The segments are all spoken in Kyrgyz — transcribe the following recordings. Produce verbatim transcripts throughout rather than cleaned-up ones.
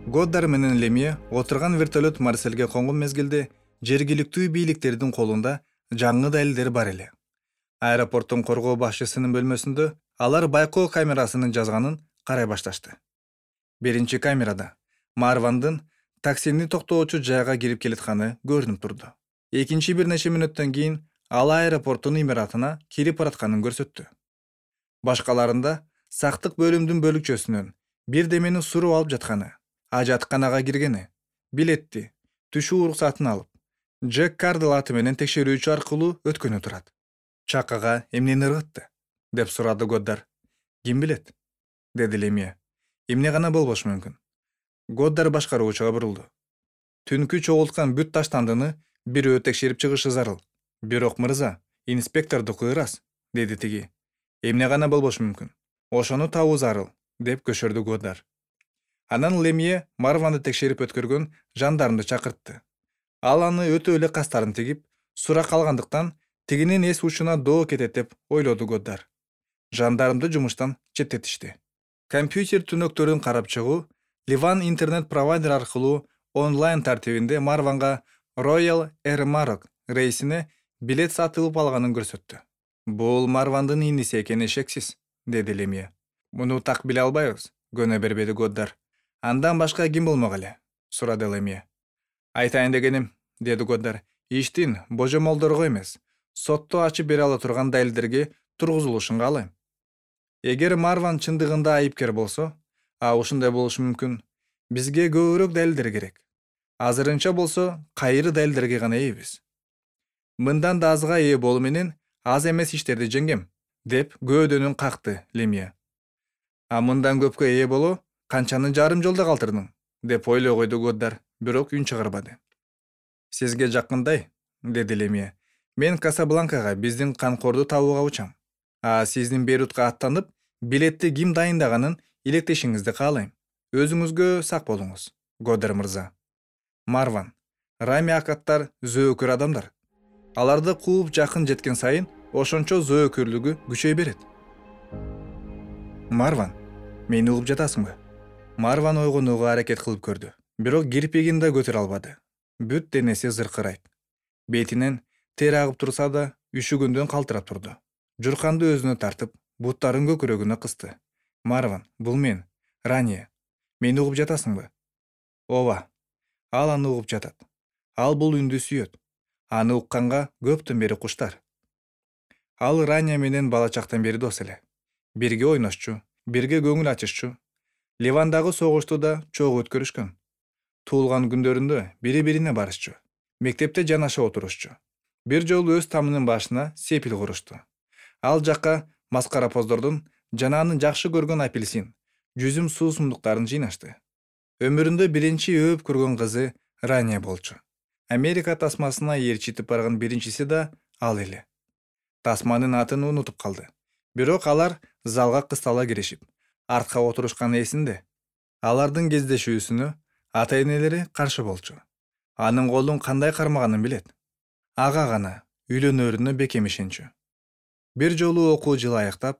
Годдар менен Лемье отурган вертолет Марселге конгон мезгилде жергиликтүү бийликтердин колунда жаңы далилдер бар эле. Аэропорттун коргоо башчысынын бөлмөсүндө алар байкоо камерасынын жазганын карай башташты. Биринчи камерада Марвандын таксини токтоочу жайга кирип келатканы көрүнүп турду. Экинчи бир нече мүнөттөн кийин ал аэропорттун имаратына кирип баратканын көрсөттү. Башкаларында сактык бөлүмдүн бөлүкчөсүнөн бирдемени суруп алып жатканы, ажатканага киргени, билетти, түшүү уруксатын алып, Джек Кардел аты менен текшерүүчү аркылуу өткөнү турат. Чакага эмнени ыргытты? Деп сурады Годдар. Ким билет? Деди Лемье. Эмне гана болбошу мүмкүн? Годдар башкаруучуга бурулду. Түнкү чогулткан бүт таштандыны бирөө текшерип чыгышы зарыл. Бирок мырза, инспектордуку ырас, деди тиги. Эмне гана болбошу мүмкүн? Ошону табуу зарыл, деп көшөрдү Годдар. Анан Лемье Марванды текшерип өткөргөн жандармды чакыртты. Ал аны өтө эле кастарын тигип, сурак алгандыктан тигинин эс учуна доо кетет деп ойлоду Годдар. Жандармды жумуштан четтетишти. Компьютер түнөктөрүн карап чыгуу Ливан интернет провайдер аркылуу онлайн тартибинде Марванга Royal Air Maroc рейсине билет сатылып алганын көрсөттү. Бул Марвандын иниси экени шексиз, деди Лемье. Муну так биле албайбыз, көнө бербеди Годдар. Андан башка ким болмок эле? Сурады Лемье. Айтайын дегеним, деди Годдар, иштин божомолдорго эмес, сотто ачып бере ала турган далилдерге тургузулушун каалайм. Эгер Марван чындыгында айыпкер болсо, а ушундай болушу мүмкүн, бизге көбүрөөк далилдер керек. Азырынча болсо, кайры далилдерге гана ээбиз. Мындан да азга ээ болуу менен аз эмес иштерди жеңгем, деп көөдөнүн какты Лемье. А мындан көпкө ээ болуу канчаны жарым жолдо калтырдың, деп ойлой койду Годдар, бирок үн чыгарбады. Сизге жакындай, деди Лемье. Мен Касабланкага биздин канкорду табууга учам. А сиздин Бейрутка аттанып, билетти ким дайындаганын илектешиңизди каалайм. Өзүңүзгө сак болуңуз, Годдар мырза. Марван, Рами акаттар зөөкөр адамдар. Аларды кууп жакын жеткен сайын, ошончо зөөкөрлүгү күчөй берет. Марван, мени угуп жатасыңбы? Марван ойгонууга аракет кылып көрдү, бирок кирпигин да көтөрө албады. Бүт денеси зыркырайт. Бетинен тер агып турса да, үшүгүндөн калтырап турду. Журканды өзүнө тартып, буттарын көкүрөгүнө кысты. Марван, бул мен, Рания. Мени угуп жатасыңбы? Ооба. Ал аны угуп жатат. Ал бул үндү сүйөт. Аны укканга көптөн бери куштар. Ал Рания менен бала чактан бери дос эле. Бирге ойношчу, бирге көңүл ачышчу. Ливандагы согушту да чогуу өткөрүшкөн. Туулган күндөрүндө бири-бирине барышчу. Мектепте жанаша отурушчу. Бир жолу өз тамынын башына сепил курушту. Ал жакка маскаропоздордун жана аны жакшы көргөн апельсин, жүзүм суусундуктарын жыйнашты. Өмүрүндө биринчи өөп көргөн кызы Рания болчу. Америка тасмасына ээрчитип барган биринчиси да ал эле. Тасманын атын унутуп калды. Бирок алар залга кыстала киришип, артка отурушканы эсинде. Алардын кездешүүсүнө ата-энелери каршы болчу. Анын колун кандай кармаганын билет. Ага гана үйлөнөрүнө бекем ишенчү. Бир жолу окуу жылы аяктап,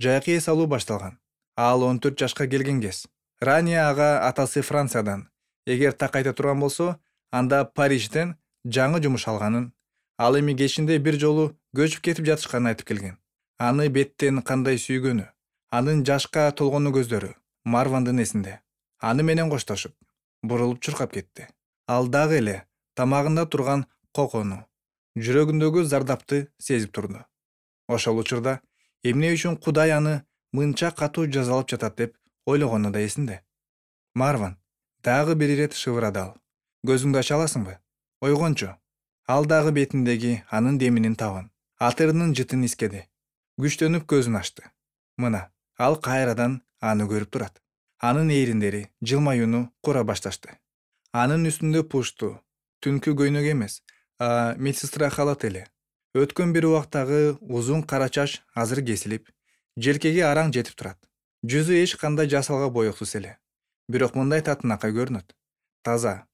жайкы эс алуу башталган. Ал он төрт жашка келген кез. Рания ага атасы Франциядан, эгер так айта турган болсо, анда Парижден жаңы жумуш алганын, ал эми кечинде бир жолу көчүп кетип жатышканын айтып келген. Аны беттен кандай сүйгөнү, анын жашка толгону көздөрү Марвандын эсинде. Аны менен коштошуп, бурулуп чуркап кетти. Ал дагы эле тамагында турган кокону, жүрөгүндөгү зардапты сезип турду. Ошол учурда эмне үчүн Кудай аны мынча катуу жазалап жатат деп ойлогону да эсинде. Марван, дагы бир ирет шыбырады ал. Көзүңдү ача аласыңбы? Ойгончу. Ал дагы бетиндеги анын деминин табын, атырынын жытын искеди. Күчтөнүп көзүн ачты. Мына, ал кайрадан аны көрүп турат. Анын ээриндери жылмаюуну кура башташты. Анын үстүндө пушту, түнкү көйнөк эмес, а медсестра халат эле. Өткөн бир убактагы узун кара чач азыр кесилип, желкеге араң жетип турат. Жүзү эч кандай жасалга боёксуз эле. Бирок мындай татынакай көрүнөт. Таза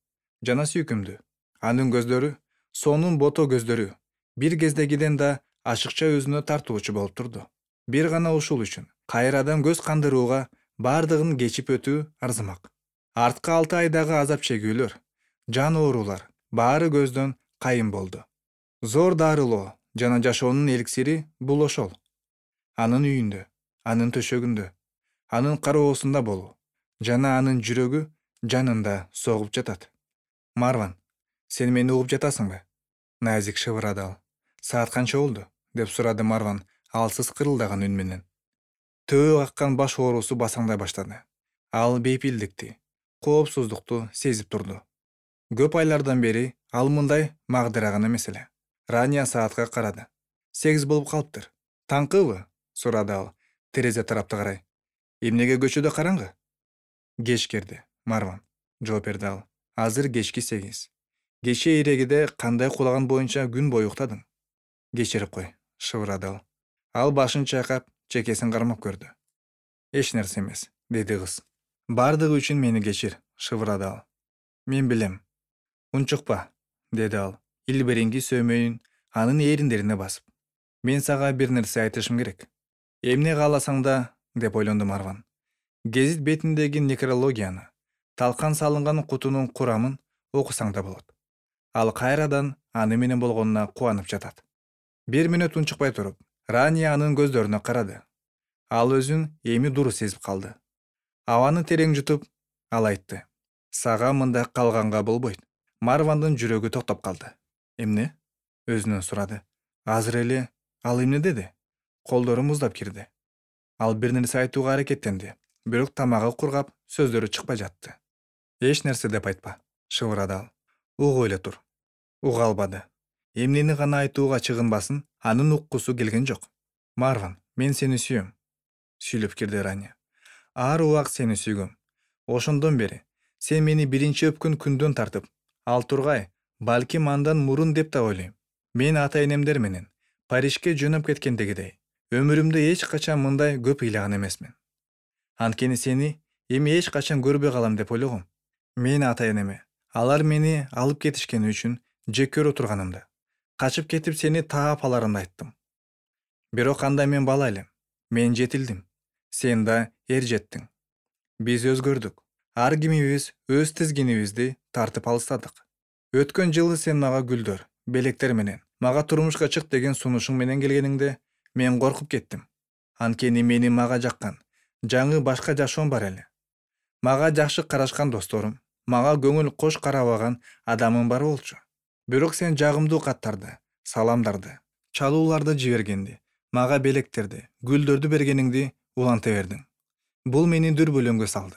жана сүйкүмдүү. Анын көздөрү, сонун бото көздөрү, бир кездегиден да ашыкча өзүнө тартуучу болуп турду. Бир гана ушул үчүн кайрадан көз кандырууга бардыгын кечип өтүү арзымак. Арткы алты айдагы азап чегүүлөр, жан оорулар баары көздөн кайын болду. Зор дарылоо жана жашоонун эликсири бул ошол. Анын үйүндө, анын төшөгүндө, анын кароосунда болуу жана анын жүрөгү жанында согуп жатат. Марван, сен мени угуп жатасыңбы? Назик шыбырады ал. Саат канча болду? Деп сурады Марван алсыз кырылдаган үн менен. Төбө каккан баш оорусу басаңдай баштады. Ал бейпилдикти, коопсуздукту сезип турду. Көп айлардан бери ал мындай магдыраган эмес эле. Рания саатка карады. Сегиз болуп калыптыр. Таңкыбы? Сурады ал терезе тарапты карай. Эмнеге көчөдө караңгы? Кеч кирди, Марван, жооп берди ал. Азыр кечки сегиз. Кечээ эрегиде кандай кулаган боюнча күн бою уктадың? Кечирип кой, шыбырады ал. Ал башын чайкап, чекесин кармап көрдү. Эч нерсе эмес, деди кыз. Бардыгы үчүн мени кечир, шыбырады ал. Мен билем. Унчукпа, деди ал, илбиринги сөмөйүн анын эриндерине басып. Мен сага бир нерсе айтышым керек. Эмне кааласаң да, деп ойлонду Марван. Гезит бетиндеги некрологияны, талкан салынган кутунун курамын окусаң да болот. Ал кайрадан аны менен болгонуна кубанып жатат. Бир мүнөт унчукпай туруп, Рания анын көздөрүнө карады. Ал өзүн эми дуру сезип калды. Абаны терең жутуп, ал айтты. Сага мында калганга болбойт. Марвандын жүрөгү токтоп калды. Эмне? Өзүнөн сурады. Азыр эле ал эмне деди? Колдору муздап кирди. Ал бир нерсе айтууга аракеттенди, бирок тамагы кургап, сөздөрү чыкпай жатты. Эч нерсе деп айтпа, шыбырады ал. Угуп эле тур. Уга албады. Эмнени гана айтууга чыгынбасын, анын уккусу келген жок. Марван, мен сени сүйөм. Сүйлөп кирди Рания. Ар убак сени сүйгөм. Ошондон бери сен мени биринчи өпкөн күндөн тартып, ал тургай, балким андан мурун деп да ойлойм. Мен ата-энемдер менен Парижге жөнөп кеткендегидей, өмүрүмдө эч качан мындай көп ыйлаган эмесмин. Анткени сени эми эч качан көрбөй калам деп ойлогом. Мен ата-энеме алар мени алып кетишкени үчүн жек көрө турганымда, качып кетип сени таап аларымды айттым. Бирок анда мен бала элем. Мен жетилдим. Сен да эр жеттиң. Биз өзгөрдүк. Ар кимибиз өз тизгинибизди тартып алыстадык. Өткөн жылы сен мага гүлдөр, белектер менен, мага турмушка чык деген сунушуң менен келгениңде мен коркуп кеттим. Анткени мени мага жаккан, жаңы башка жашоом бар эле. Мага жакшы карашкан досторум, мага көңүл кош карабаган адамым бар болчу. Бирок сен жагымдуу каттарды, саламдарды, чалууларды жибергенди, мага белектерди, гүлдөрдү бергениңди уланта бердиң. Бул мени дүрбөлөңгө салды.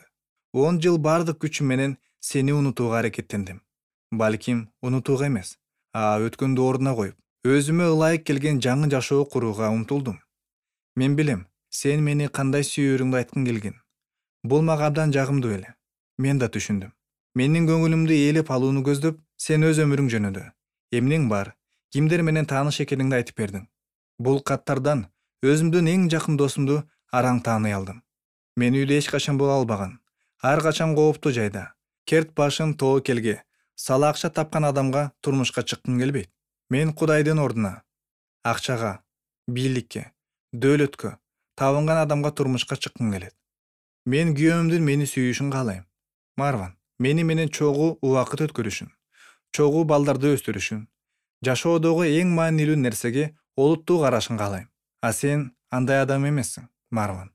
он жыл бардык күчүм менен сени унутууга аракеттендим. Балким унутууга эмес, а өткөндү ордуна коюп, өзүмө ылайык келген жаңы жашоо курууга умтулдум. Мен билем, сен мени кандай сүйөрүңдү айткың келген. Бул мага абдан жагымдуу эле. Мен да түшүндүм. Менин көңүлүмдү ээлеп алууну көздөп, сен өз өмүрүң жөнүндө эмнең бар, кимдер менен тааныш экениңди айтып бердиң. Бул каттардан өзүмдүн эң жакын досумду араң тааный алдым. Мен үйдө эч качан боло албаган, ар качан кооптуу жайда, керт башын тоо келге, сала акча тапкан адамга турмушка чыккым келбейт. Мен Кудайдын ордуна, акчага, бийликке, дөөлөткө табынган адамга турмушка чыккым келет. Мен күйөөмдүн мени сүйүшүн каалайм. Марван, мени менен чогуу убакыт өткөрүшүн, чогуу балдарды өстүрүшүн, жашоодогу эң маанилүү нерсеге олуттуу карашын каалайм. А сен андай адам эмессиң, Марван.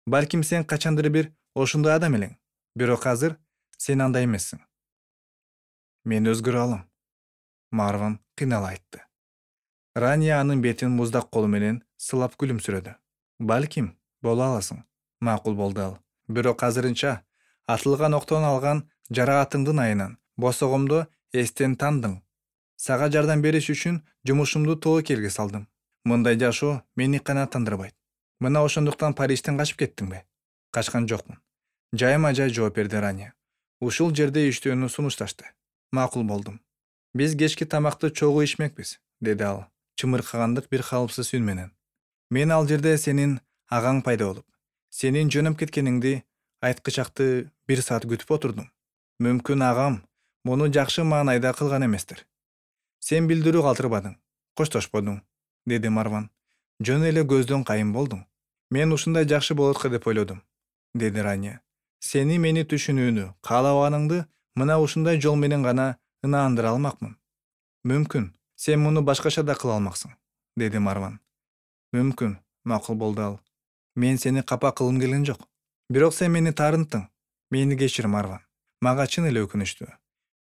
Балким сен качандыр бир ошондой адам элең, бирок азыр сен андай эмессиң. Мен өзгөрө алам. Марван кыйнала айтты. Рания анын бетин муздак колу менен сылап күлүмсүрөдү. Балким, боло аласың, макул болду ал. Бирок азырынча атылган октон алган жараатыңдын айынан босогомдо эстен тандың. Сага жардам бериш үчүн жумушумду тоо келге салдым. Мындай жашоо мени канааттандырбайт. Мына ошондуктан Парижден качып кеттиңби? Качкан жокмун. Жайма жай жооп берди Рания. Ушул жерде иштөөнү сунушташты. Макул болдум. Биз кечки тамакты чогуу ичмекпиз, деди ал, чымыркагандык бир калыпсыз үн менен. Мен ал жерде сенин агаң пайда болуп, сенин жөнөп кеткениңди айткычакты бир саат күтүп отурдум. Мүмкүн агам муну жакшы маанайда кылган эместир. Сен билдирүү калтырбадың, коштошподуң, деди Марван. Жөн эле көздөн кайын болдуң. Мен ушундай жакшы болот го деп ойлодум, деди Рания. Сени мени түшүнүүнү каалабаганыңды мына ушундай жол менен гана ынаандыра алмакмын. Мүмкүн, сен муну башкача да кыла алмаксың, деди Марван. Мүмкүн, макул болду ал. Мен сени капа кылгым келген жок. Бирок сен мени таарынттың. Мени кечир, Марван. Мага чын эле өкүнүчтүү.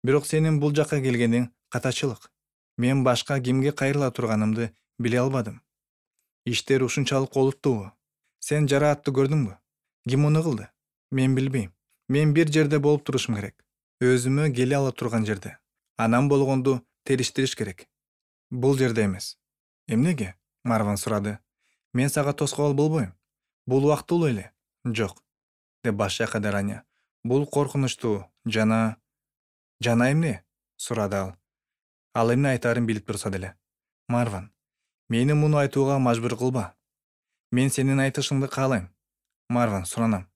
Бирок сенин бул жакка келгениң катачылык. Мен башка кимге кайрыла турганымды биле албадым. Иштер ушунчалык олуттуубу? Сен жараатты көрдүңбү? Ким муну кылды? Мен билбейм. Мен бир жерде болуп турушум керек. Өзүмө келе ала турган жерде. Анан болгонду териштириш керек. Бул жерде эмес. Эмнеге? Марван сурады. Мен сага тоскоол болбойм. Бул убактылуу эле. Жок, деп баш чайкады Раня. Бул коркунучтуу жана... Жана эмне? Сурады ал. Ал эмне айтаарын билип турса деле. Марван, мени муну айтууга мажбур кылба. Мен сенин айтышыңды каалайм. Марван, суранам.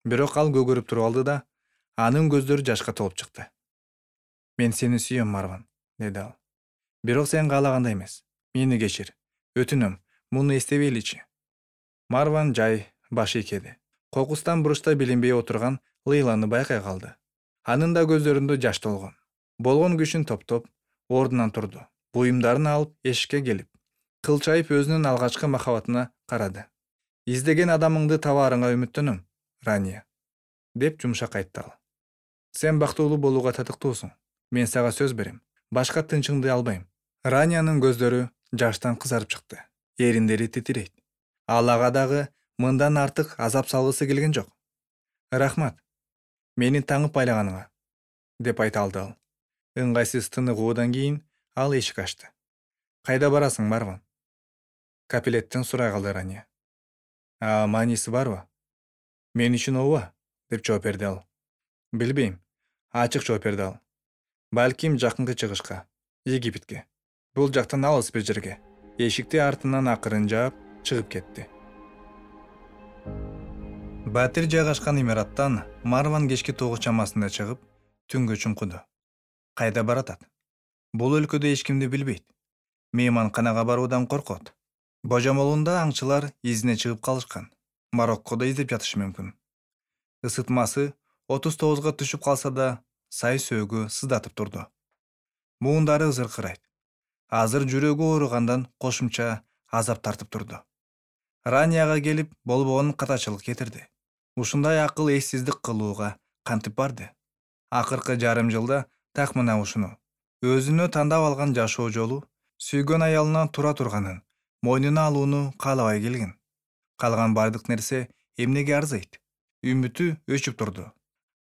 Бирок ал көгөрүп туруп алды да, анын көздөрү жашка толуп чыкты. Мен сени сүйөм, Марван, деди ал. Бирок сен каалагандай эмес. Мени кечир. Өтүнөм, муну эстебейличи. Марван жай баш ийкеди. Кокустан буручта билинбей отурган Лейланы байкай калды. Анын да көздөрүндө жаш толгон. Болгон күчүн топтоп, ордунан турду. Буюмдарын алып эшикке келип, кылчайып өзүнүн алгачкы махабатына карады. Издеген адамыңды табаарыңа үмүттөнөм, Рания, деп жумшак айтты ал. Сен бактылуу болууга татыктуусуң. Мен сага сөз берем. Башка тынчыңды албайм. Раниянын көздөрү жаштан кызарып чыкты. Эриндери титирейт. Ал ага дагы мындан артык азап салгысы келген жок. Рахмат. Мени таңып байлаганыңа, деп айта алды ал. Ыңгайсыз тыныгуудан кийин ал эшик ачты. Кайда барасың, Марван? Капилеттен сурай калды Рания. А мааниси барбы? Мен үчүн ооба, деп жооп берди ал. Билбейм, ачык жооп берди ал. Балким жакынкы чыгышка, Египетке. Бул жактан алыс бир жерге. Эшикти артынан акырын жаап, чыгып кетти. Батир жайгашкан имараттан Марван кечки тогуз чамасында чыгып, түнгө чуңкуду. Кайда баратат? Бул өлкөдө эч кимди билбейт. Мейманканага баруудан коркот. Божомолунда аңчылар изине чыгып калышкан. Мароккодо издеп жатышы мүмкүн. Ысытмасы отуз тогузга түшүп калса да, сай сөөгү сыздатып турду. Муундары зыркырайт. Азыр жүрөгү ооругандан кошумча азап тартып турду. Ранияга келип болбогонун катачылык кетирди. Ушундай акыл эссиздик кылууга кантип барды? Акыркы жарым жылда так мына ушуну. Өзүнө тандап алган жашоо жолу сүйгөн аялынан тура турганын мойнуна алууну каалабай келген. Калган бардык нерсе эмнеге арзыйт? Үмүтү өчүп турду.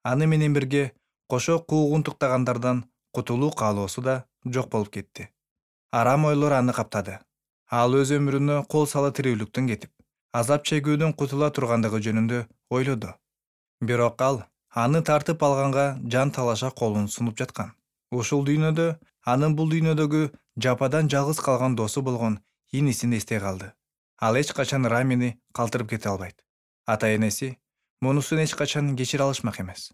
Аны менен бирге кошо куугунтуктагандардан кутулуу каалоосу да жок болуп кетти. Арам ойлор аны каптады. Ал өз өмүрүнө кол сала тирүүлүктөн кетип, азап чегүүдөн кутула тургандыгы жөнүндө ойлоду. Бирок ал аны тартып алганга жан талаша колун сунуп жаткан. Ушул дүйнөдө анын бул дүйнөдөгү жападан жалгыз калган досу болгон инисин эстей калды. Ал эч качан Рамини калтырып кете албайт. Ата-энеси мунусун эч качан кечире алышмак эмес.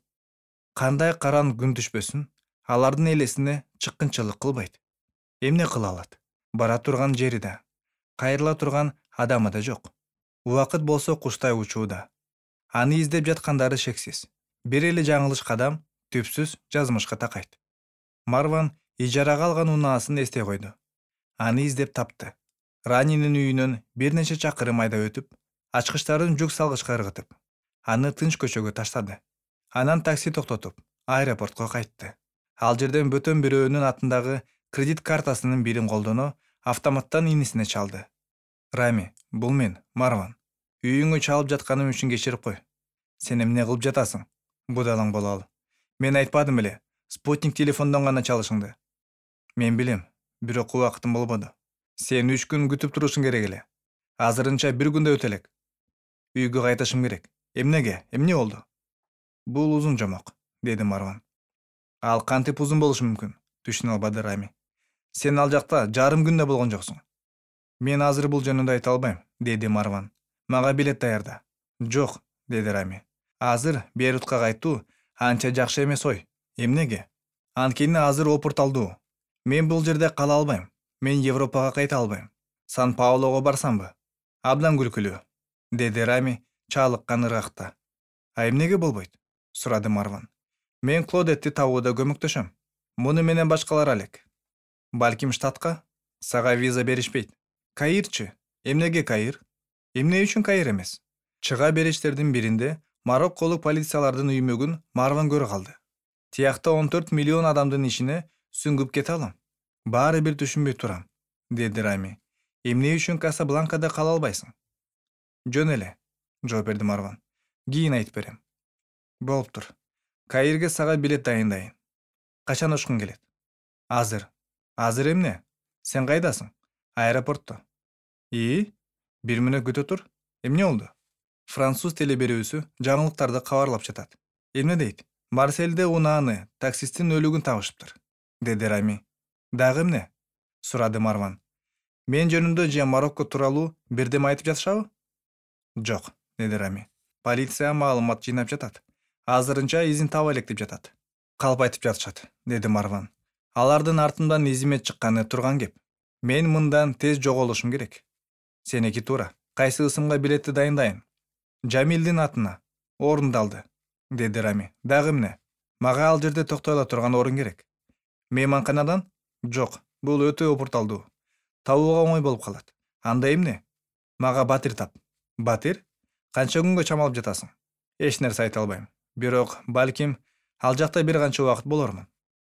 Кандай каран күн түшпөсүн, алардын элесине чыккынчылык кылбайт. Эмне кыла алат? Бара турган жери да, кайрыла турган адамы да жок. Убакыт болсо куштай учууда. Аны издеп жаткандары шексиз. Бир эле жаңылыш кадам түпсүз жазмышка такайт. Марван ижарага алган унаасын эстей койду. Аны издеп тапты. Ранинин үйүнөн бир нече чакырым айда өтүп, ачкычтарын жүк салгычка ыргытып, аны тынч көчөгө таштады. Анан такси токтотуп, аэропортко кайтты. Ал жерден бөтөн бирөөнүн атындагы кредит картасынын бирин колдоно автоматтан инисине чалды. Рами, бул мен, Марван. Үйүңө чалып жатканым үчүн кечирип кой. Сен эмне кылып жатасың? Будалаң боло ал. Мен айтпадым беле, спутник телефондон гана чалышыңды. Мен билем, бирок убакытым болбоду. Сен үч күн күтүп турушуң керек эле. Азырынча бир күндө өтө элек. Үйгө кайтышым керек. Эмнеге? Эмне болду? Бул узун жомок, деди Марван. Ал кантип узун болушу мүмкүн? Түшүнө албады Рами. Сен ал жакта жарым күндө болгон жоксуң. Мен азыр бул жөнүндө айта албайм, деди Марван. Мага билет даярда. Жок, деди Рами. Азыр Бейрутка кайтуу анча жакшы эмес ой. Эмнеге? Анткени азыр опурталдуу. Мен бул жерде кала албайм. Мен Европага кайта албайм. Сан-Паулого барсамбы? Абдан күлкүлүү, деди Рами чалыккан ыргакта. А эмнеге болбойт? Сурады Марван. Мен Клодетти табууда көмөктөшөм. Муну менен башкалар алек. Балким штатка? Сага виза беришпейт. Каирчи? Эмнеге Каир? Эмне үчүн Каир эмес? Чыга бериштердин биринде Марокколук полициялардын үймөгүн Марван көрө калды. Тиякта он төрт миллион адамдын ишине сүңгүп кете алам. Баары бир түшүнбөй турам, деди Рами. Эмне үчүн Касабланкада кала албайсың? Жөн эле, жооп берди Марван. Кийин айтып берем. Болуптур. Каирге сага билет дайындайын. Качан учкуң келет? Азыр. Азыр эмне? Сен кайдасың? Аэропортто. И? Бир мүнөт күтө тур. Эмне болду? Француз телеберүүсү жаңылыктарды кабарлап жатат. Эмне дейт? Марсельде унааны таксисттин өлүгүн табышыптыр, деди Рами. Дагы эмне? Сурады Марван. Мен жөнүндө же Марокко тууралуу бирдеме айтып жатышабы? Жок, деди Рами. Полиция маалымат жыйнап жатат. Азырынча изин таба элек деп жатат. Калп айтып жатышат, деди Марван. Алардын артымдан изиме чыкканы турган кеп. Мен мындан тез жоголушум керек. Сеники туура. Кайсы ысымга билетти дайындайын? Жамилдин атына. Орундалды, деди Рами. Дагы эмне? Мага ал жерде токтой ала турган орун керек. Мейманканадан? Жок, бул өтө опурталдуу. Табууга оңой болуп калат. Анда эмне? Мага батир тап. Батир? Канча күнгө чамалып жатасың? Эч нерсе айта албайм. Бирок, балким, ал жакта бир канча убакыт болормун.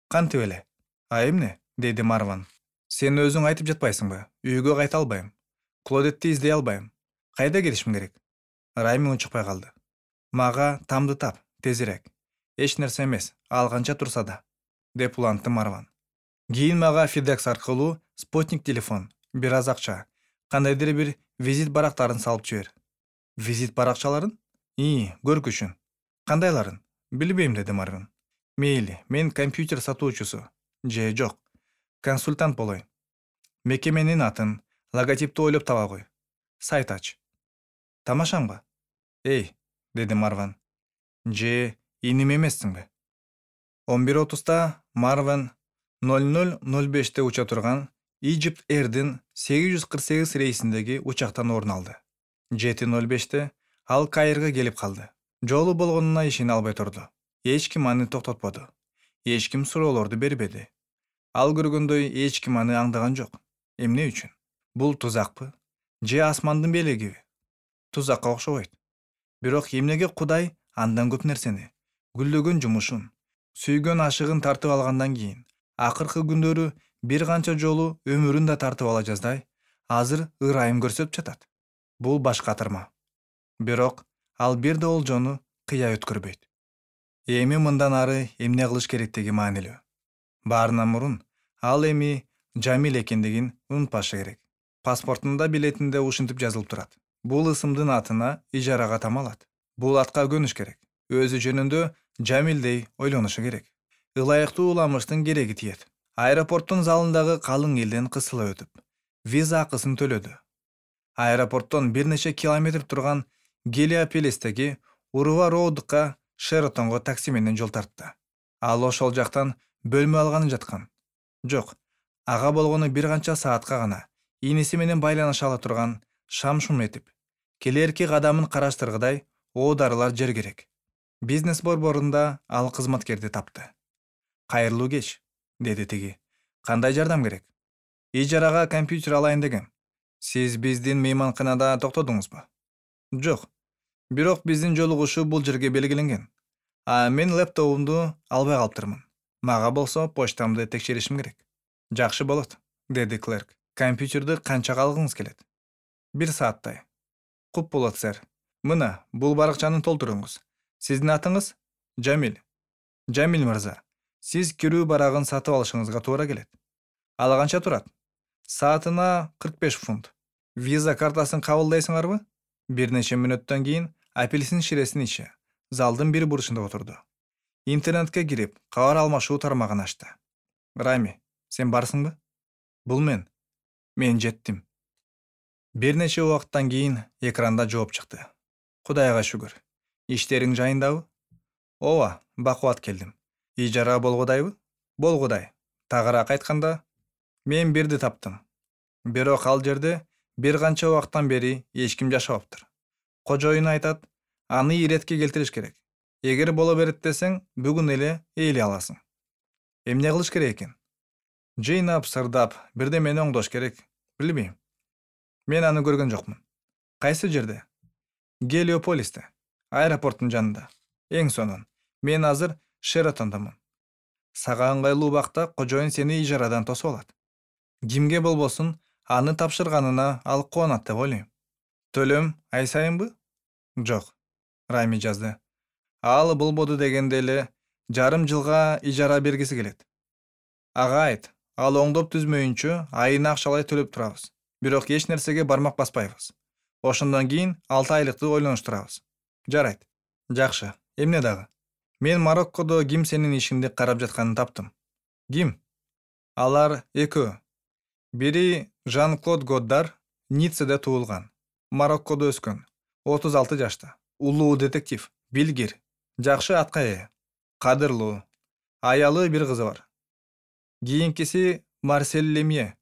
Кантип эле? А эмне? Деди Марван. Сен өзүң айтып жатпайсыңбы? Үйгө кайта албайм. Клодетти издей албайм. Кайда кетишим керек? Райми унчукпай калды. Мага тамды тап, тезирээк. Эч нерсе эмес, ал канча турса да, деп улантты Марван. Кийин мага FedEx аркылуу спутник телефон, бир аз акча, кандайдыр бир визит барактарын салып жибер. Визит баракчаларын? И, көргүчүн. Кандайларын? Билбейм, деди Марван. Мейли, мен компьютер сатуучусу. Же жок, консультант болоюн. Мекеменин атын, логотипти ойлоп таба кой. Сайт ач. Тамашаңбы? Эй, деди Марван. Же иним эмессиңби? он бир отузда Марван ноль ноль ноль беште уча турган Egypt Air'дин сегиз жүз кырк сегиз рейсиндеги учактан орун алды. жети ноль беште ал Каирге келип калды. Жолу болгонуна ишене албай турду. Эч ким аны токтотподу. Эч ким суроолорду бербеди. Ал көргөндөй эч ким аны аңдаган жок. Эмне үчүн? Бул тузакпы? Же асмандын белегиби? Тузакка окшобойт. Бирок эмнеге Кудай андан көп нерсени, гүлдөгөн жумушун, сүйгөн ашыгын тартып алгандан кийин, акыркы күндөрү бир канча жолу өмүрүн да тартып ала жаздай, азыр ырайым көрсөтүп жатат. Бул баш катырма. Бирок ал бир да олжону кыя өткөрбөйт. Эми мындан ары эмне кылыш керектиги маанилүү. Баарынан мурун ал эми Жамил экендигин унутпашы керек. Паспортунда билетинде ушинтип жазылып турат. Бул ысымдын атына ижарага тамалат. Бул атка көнүш керек. Өзү жөнүндө Жамилдей ойлонушу керек. Ылайыктуу уламыштын кереги тиет. Аэропорттун залындагы калың элден кысыла өтүп, виза акысын төлөдү. Аэропорттон бир нече километр турган Гелиополистеги Урува Роудка Шератонго такси менен жол тартты. Ал ошол жактан бөлмө алганы жаткан. Жок, ага болгону бир канча саатка гана иниси менен байланыша ала турган шам-шум этип, келерки кадамын караштыргыдай оодарылар жер керек. Бизнес борборунда ал кызматкерди тапты. Кайырлуу кеч, деди тиги. Кандай жардам керек? Ижарага компьютер алайын дегем. Сиз биздин мейманканада токтодуңузбу? Жок. Бирок биздин жолугушуу бул жерге белгиленген. А мен лэптопумду албай калыптырмын. Мага болсо почтамды текшеришим керек. Жакшы болот, деди клерк. Компьютерди канчага алгыңыз келет? Бир сааттай. Куп болот, сэр. Мына, бул баракчаны толтуруңуз. Сиздин атыңыз? Жамил. Жамил мырза, сиз кирүү барагын сатып алышыңызга туура келет. Ал канча турат? Саатына кырк беш фунт. Виза картасын кабылдайсыңарбы? Бир нече мүнөттөн кийин апельсин ширесин ичи залдын бир бурчунда отурду. Интернетке кирип, кабар алмашуу тармагын ачты. Рами, сен барсыңбы? Бул мен. Мен жеттим. Бир нече убакыттан кийин экранда жооп чыкты. Кудайга шүгүр. Иштериң жайындабы? Ооба, бакубат келдим. Ижара болгудайбы? Болгудай. Тагыраак айтканда, мен бирди таптым. Бирок ал жерде бир канча убакыттан бери эч ким жашабаптыр. Кожоюн айтат, аны иретке келтириш керек. Эгер боло берет десең, бүгүн эле ээлей аласың. Эмне кылыш керек экен? Жыйнап, сырдап, бирдемени оңдош керек. Билбейм. Мен аны көргөн жокмун. Кайсы жерде? Гелиополисте, аэропорттун жанында. Эң сонун. Мен азыр Шератондомун. Сага ыңгайлуу убакта кожоюн сени ижарадан тосуп алат. Кимге болбосун аны тапшырганына ал кубанат деп ойлойм. Төлөм ай сайынбы? Жок. Рами жазды. Ал болбоду дегенде эле жарым жылга ижара бергиси келет. Ага айт, ал оңдоп түзмөйүнчө айына акчалай төлөп турабыз. Бирок эч нерсеге бармак баспайбыз. Ошондон кийин алты айлыкты ойлонуштурабыз. Жарайт. Жакшы. Эмне дагы? Мен Мароккодо ким сенин ишиңди карап жатканын таптым. Ким? Алар экөө. Бири Жан-Клод Годдар, Ниццеде туулган. Мароккодо өскөн. отуз алты жашта. Улуу детектив, билгир, жакшы атка ээ. Кадырлуу. Аялы бир кызы бар. Кийинкиси Марсель Лемье,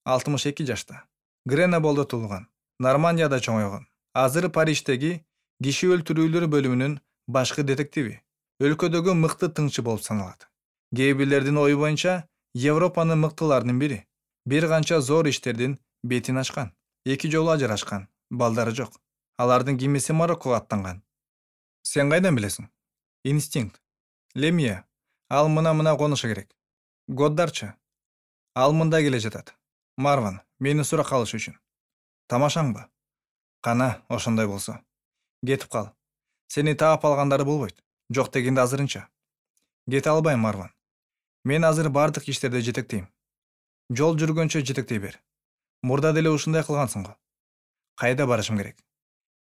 алтымыш эки жашта. Греноболдо туулган. Нормандияда чоңойгон. Азыр Париждеги киши өлтүрүүлөр бөлүмүнүн башкы детективи. Өлкөдөгү мыкты тыңчы болуп саналат. Кээ бирлердин ою боюнча Европанын мыктыларынын бири. Бир канча зор иштердин бетин ачкан. Эки жолу ажырашкан. Балдары жок. Алардын кимиси Мароккого аттанган. Сен кайдан билесиң? Инстинкт. Лемье. Ал мына-мына конушу керек. Годдарчы. Ал мында келе жатат. Марван, мени суракка алыш үчүн. Тамашаңбы? Кана, ошондой болсо. Кетип кал. Сени таап алгандары болбойт. Жок дегенде азырынча. Кете албайм, Марван. Мен азыр бардык иштерди жетектейм. Жол жүргөнчө жетектей бер. Мурда деле ушундай кылгансың го. Кайда барышым керек?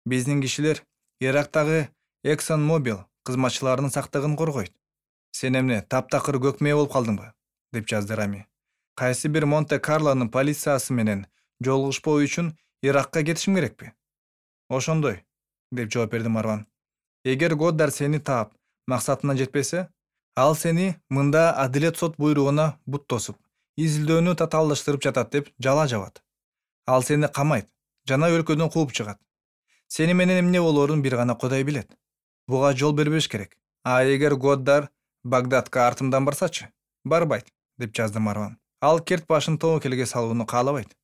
Биздин кишилер Ирактагы Exxon Mobil кызматчыларынын сактыгын коргойт. Сен эмне, таптакыр көкмээ болуп калдыңбы? Деп жазды Рами. Кайсы бир Монте-Карлонун полициясы менен жолугушпоо үчүн Иракка кетишим керекпи? Ошондой, деп жооп берди Марван. Эгер Годдар сени таап, максатына жетпесе, ал сени мында адилет сот буйругуна бут тосуп, изилдөөнү татаалдаштырып жатат деп жала жабат. Ал сени камайт, жана өлкөдөн кууп чыгат. Сени менен эмне болоорун бир гана Кудай билет. Буга жол бербеш керек. А эгер Годдар Багдадка артымдан барсачы? Барбайт, деп жазды Марван. Ал керт башын тобокелге салууну каалабайт.